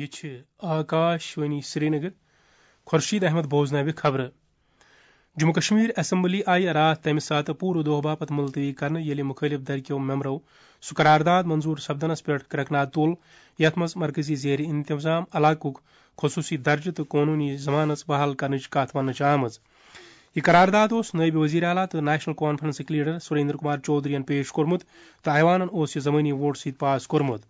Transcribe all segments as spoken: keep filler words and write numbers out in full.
چھِ آکاش وانی سرینگر۔ خورشید احمد بوزناوِ خبرٕ۔ جموں کشمیر اسمبلی آیہِ راتھ تَمہِ ساتہٕ پوٗرٕ دۄہ باپتھ ملتوی کرنہٕ، ییٚلہِ مُخٲلِف دھرکیو ممبرو سُہ قرارداد منظور سپدنس پٮ۪ٹھ کرٛٮ۪کھ ناد تُل، یَتھ منٛز مرکزی زیر انتظام علاقُک خصوٗصی درجہٕ تہٕ قونوٗنی ضمانت بحال کرنٕچ کتھ وننہٕ چھِ آمٕژ۔ یہِ قرارداد اوس نٲیِب وزیر اعلیٰ تہٕ نیشنل کانفرنسٕکۍ لیڈر سریندر کمار چودھرین پیش کوٚرمُت تہٕ ایوانن اوس یہِ ضمٲنی ووٹ سۭتۍ پاس کوٚرمُت۔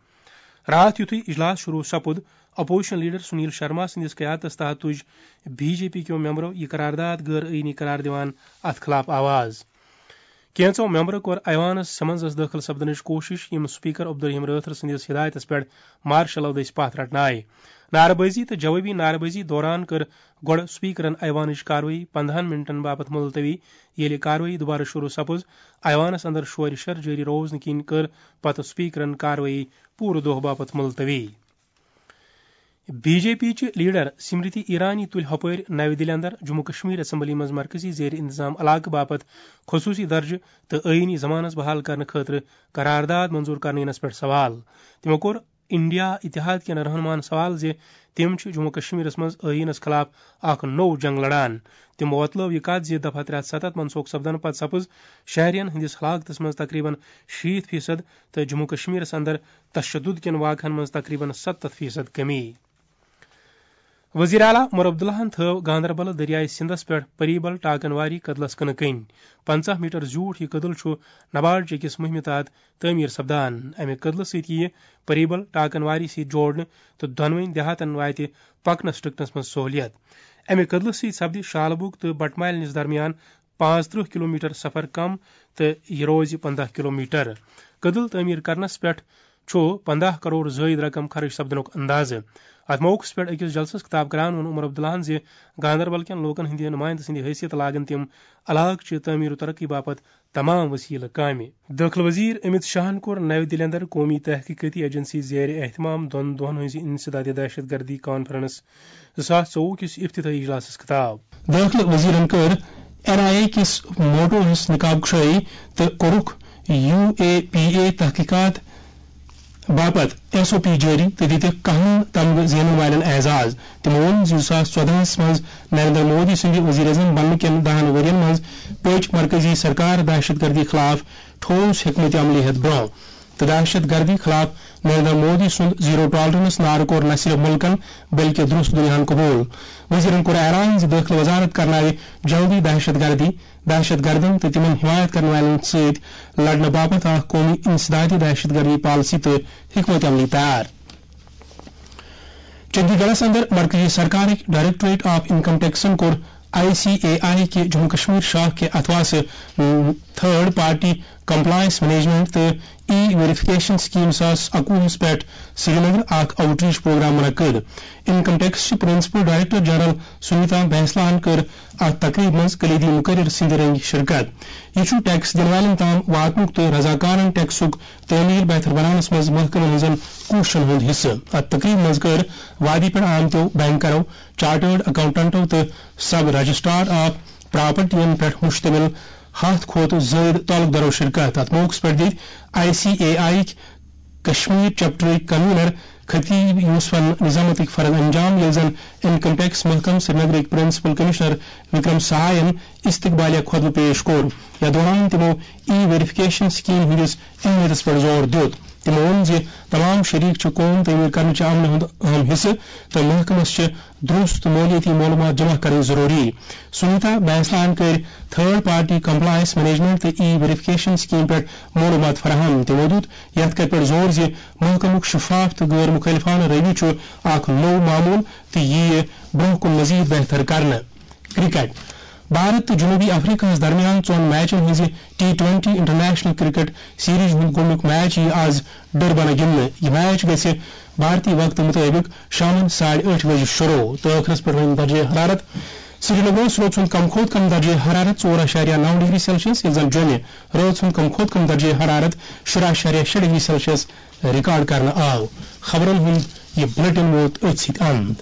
راتھ یُتھُے اجلاس شروع سپُد، اپوزیشن لیڈر سنیل شرما سٕنٛدِس قیادتس تحت تُج بی جے پی کیو ممبرو یہِ قرارداد غٲر آئینی قرار دِوان اتھ خلاف آواز۔ کینٛژو ممبرو کوٚر ایوانس سمنزس دٲخل سپدنٕچ کوٗشش، یِم سپیکر عبدالرحیم رٲتھر سٕنٛدِس ہدایتس پٮ۪ٹھ مارشل لو دٔسۍ پتھ رٹنہٕ آیہِ۔ نعرٕ بٲزی تہٕ جوابی نعرٕ بٲزی دوران کٔر گۄڈٕ سپیکرن ایوانٕچ کاروٲیی پندہن منٹن باپتھ ملتوی۔ ییٚلہِ کاروٲیی دوبارٕ شروع سپٕز، ایوانس اندر شورِ شر جٲری روزنہٕ کِنۍ کٔر پتہٕ سپیکرن کاروٲیی پوٗرٕ دۄہ باپتھ ملتوی۔ بی جے پی چہِ لیڈر سمرتی ایرانی تُلۍ ہۄپٲرۍ نَوِ دِلہِ اندر جموں کشمیر اسمبلی منٛز مرکزی زیر انتظام علاقہٕ باپتھ خصوٗصی درجہٕ تہٕ آئینی ضمانت بحال کرنہٕ خٲطرٕ قرارداد منظور کرنہٕ یِنس پٮ۪ٹھ سوال۔ تِمو کوٚر انڈیا اتحاد کٮ۪ن رہنماہن سوال زِ تِم چھِ جموں کشمیرس منٛز آئینس خلاف اکھ نوٚو جنگ لڑان۔ تِمو وۄتلٲو یہِ کتھ زِ دفعہ ترٛےٚ ہتھ ستتھ منسوخ سپدنہٕ پتہٕ سپٕز شہرین ہٕنٛدِس ہلاکتس منٛز تقریباً شیٖتھ فیصد تہٕ جموں کشمیرس اندر تشدد کٮ۪ن واقعن منٛز تقریباً ستتھ فیصد کمی۔ وزیر اعلیٰ عمر عبداللہن تھٲو گاندربل دریائے سندس پٮ۪ٹھ پریبل ٹاکن واری کدلس کٕنہٕ کٔنۍ۔ پنژاہ میٹر زیوٗٹھ یہِ کدل چھُ نبارڈ چہِ أکِس مُہِمہِ تحت تعمیٖر سپدان۔ امہِ کدلہٕ سۭتۍ یِیہِ پریبل ٹاکن واری سۭتۍ جوڑنہٕ تہٕ دۄنوٕنۍ دیہاتن واتہِ پکنس ٹٕکنس منٛز سہوٗلیت۔ امہِ کدلہٕ سۭتۍ سپدِ شالبُگ تہٕ بٹمالنِس درمیان پانٛژترٕہ کلومیٹر سفر کم تہٕ یہِ روزِ پنداہ کلومیٹر۔ کدل تعمیٖر کرنس پٮ۪ٹھ چھُ پنداہ کرور زٲیِد رقم خرٕچ سپدنُک اندازٕ۔ اتھ موقعس پٮ۪ٹھ أکِس جلسس خطاب کران ووٚن عمر عبداللہن زِ گاندربل کٮ۪ن لوٗکن ہٕنٛدِ نُمٲیندٕ سٕنٛدِ حیثیت لاگن تِم علاقہٕ چہِ تعمیٖر و ترقی باپتھ تمام وسیلہٕ کامہِ۔ دٲخلہٕ وزیر امیت شاہن کوٚر نَوِ دِلہِ اندر قومی تحقیقاتی ایجنسی زیر اہتمام دۄن دۄہن ہٕنٛزِ انسداد دہشت گردی کانفرنس زٕ ساس ژوٚوُہ کِس افتتاحی اجلاسس خطاب۔ دٲخلہٕ وزیرن کٔر این آئی اے کِس موٹوہس نقاب کشٲیی تہٕ کوٚرُکھ یو اے پی اے تحقیقات باپتھ ایس او پی جٲری تہٕ دِتِکھ کاہن تمغہٕ زینن والٮ۪ن اعزاز۔ تِمو ووٚن زِ زٕ ساس ژۄدہس منٛز نریندر مودی سٕنٛدِ وزیر اعظم بننہٕ کٮ۪ن دہن ؤرین منٛز پٔچ مرکزی سرکار دہشت گردی خلاف ٹھوس حکمت عملی ہیتھ برونٛہہ تہٕ دہشت گردی خلاف نریندر مودی سُنٛد زیرو ٹالرنس نعرٕ کوٚر نہ صرف مُلکن بلکہِ درست دُنیاہن قبول۔ وزیرن کوٚر اعلان زِ دٲخلہٕ وزارت کرناوِ جلدی دہشت گردی، دہشت گردن تہٕ تِمن حمایت کرن والٮ۪ن سۭتۍ لڑنہٕ باپتھ اکھ قومی انسدادی دہشت گردی پالیسی تہٕ حکمت عملی تیار۔ چندی گڑھس اندر مرکزی سرکارٕکۍ ڈائریکٹوریٹ آف انکم ٹیکسن کوٚر آئی سی اے آئی کہِ جموں کشمیر شاخ کہِ اتھواسہٕ تھرڈ پارٹی کمپلائنس مینجمنٹ تہٕ ای ویریفکیشن سکیم زٕ ساس اَکوُہس پٮ۪ٹھ سرینگر اکھ آؤٹ ریچ پروگرام منعقد۔ انکم ٹیکس چہِ پرنسپل ڈائریکٹر جنرل سنیتا بینسلاہن کٔر اتھ تقریبہِ منٛز کلیدی مقرر سٕنٛدِ رنگہِ شرکت۔ یہِ چھُ ٹیکس دِنہٕ والٮ۪ن تام واتنُک تہٕ رضاکارن ٹیکسُک تعمیٖل بہتر بناونس منٛز محکمن ہٕنٛزن کوٗششن ہُنٛد حصہٕ۔ اتھ تقریبہِ منٛز کٔر وادی پٮ۪ٹھ آمتیو بینکرو، چارٹرڈ اکاؤنٹنٹو تہٕ سب رجسٹرار آف پراپرٹین پٮ۪ٹھ مشتمل ہتھ کھۄتہٕ زٲیِد تعلق دارو شرکت۔ اتھ موقعس پٮ۪ٹھ دِتۍ I C A I Kashmir چیپٹرٕکۍ کنوینر خطیب یوسفن نظامتٕکۍ فرض انجام، ییٚلہِ زن انکم ٹیکس محکمہٕ سرینگرٕکۍ پرنسپل کمشنر وکرم سہاین استقبالیہ خطبہٕ پیش کوٚر۔ یتھ دوران تِمو ای ویریفکیشن سکیم ہٕنٛدِس اہمیتس پٮ۪ٹھ زور دیُت۔ تِمو ووٚن زِ تمام شریک چھِ قوم تعمیٖر کرنہٕ چہِ عملہِ ہُنٛد اہم حصہٕ تہٕ محکمس چھِ درست مٲلیٲتی معلومات جمع کرٕنۍ ضروٗری۔ سنیتا بینسلان کٔرۍ تھرڈ پارٹی کمپلائنس مینجمنٹ تہٕ ای ویریفکیشن سکیم پٮ۪ٹھ معلومات فراہم۔ تِمو دیُت یتھ کتھِ پٮ۪ٹھ زور زِ محکمُک شفاف تہٕ غٲر مخالفانہٕ رویہ چھُ اکھ نوٚو معمول تہٕ یِیہِ برٛونٛہہ کُن مزید بہتر کرنہٕ۔ کرکٹ۔ بھارت تہٕ جنوبی افریقہس درمیان ژۄن میچن ہٕنٛزِ T twenty international cricket series ہُنٛد گۄڈٕنیُک میچ یِیہِ آز ڈربنہ گِنٛدنہٕ۔ یہِ میچ گژھِ بھارتی وقتہٕ مُطٲبِق شامَن ساڑِ ٲٹھِ بجہِ شروع تہٕ ٲخرَس پٮ۪ٹھ روزِ درجہ حرارت سرینگرس رٲژ ہُنٛد کم کھۄتہٕ کم درجہ حرارت ژور اَشاریہ نَو ڈگری سیلسیس، ییٚلہِ زَن جوٚمہِ رٲژ ہُنٛد کم کھۄتہٕ کم درجہ حرارت شُراہ اَشاریہ شےٚ ڈگری سیلسیس ریکارڈ کرنہٕ آو۔ خبرن ہُنٛد یہِ بلیٹن ووت أتھۍ سۭتۍ اند۔